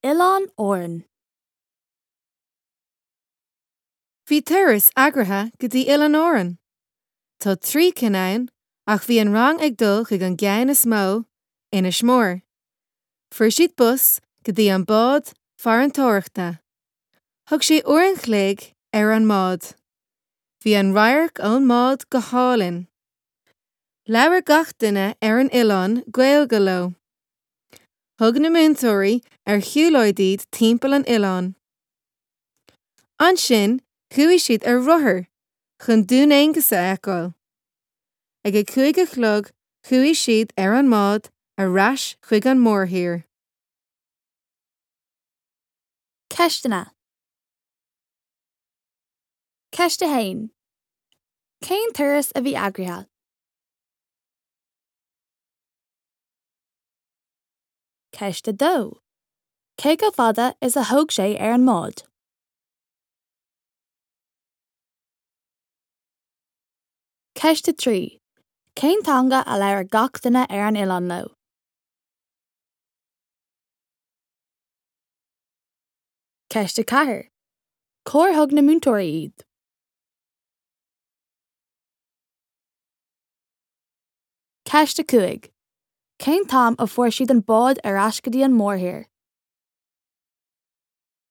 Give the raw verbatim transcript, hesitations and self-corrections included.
Oileáin Árann. Bhí turas eagraithe go dtí Oileáin Árann. Tá trí cinn ann ach bhí an rang ag dul chuig an gceann is mó, Inis Mór. Fuair siad bus go dtí an bád farantóireachta. Thug sé uair an chloig ar an mbád. Bhí an radharc ón mbád go hálainn. Labhair gach duine ar an oileán Gaeilge leo. Thug na múinteoirí ar shiúlóid iad timpeall an oileáin. Ansin chuaigh siad ar rothar chun Dún Aonghasa a fheiceáil. Ag a cúig a chlog chuaigh siad ar an mbád ar ais chuig an mórthír. Ceisteanna. Ceist a haon. Cén turas a bhí eagraithe? Ceist a dó. Cé chomh fada is a thóg sé ar an mbád? Ceist a trí. Cén teanga a labhair gach duine ar an oileán leo? Ceist a ceathair. Cár thug na múinteoirí iad? Ceist a cúig. Cén t-am a fuair siad an bád ar ais go dtí an mórthír?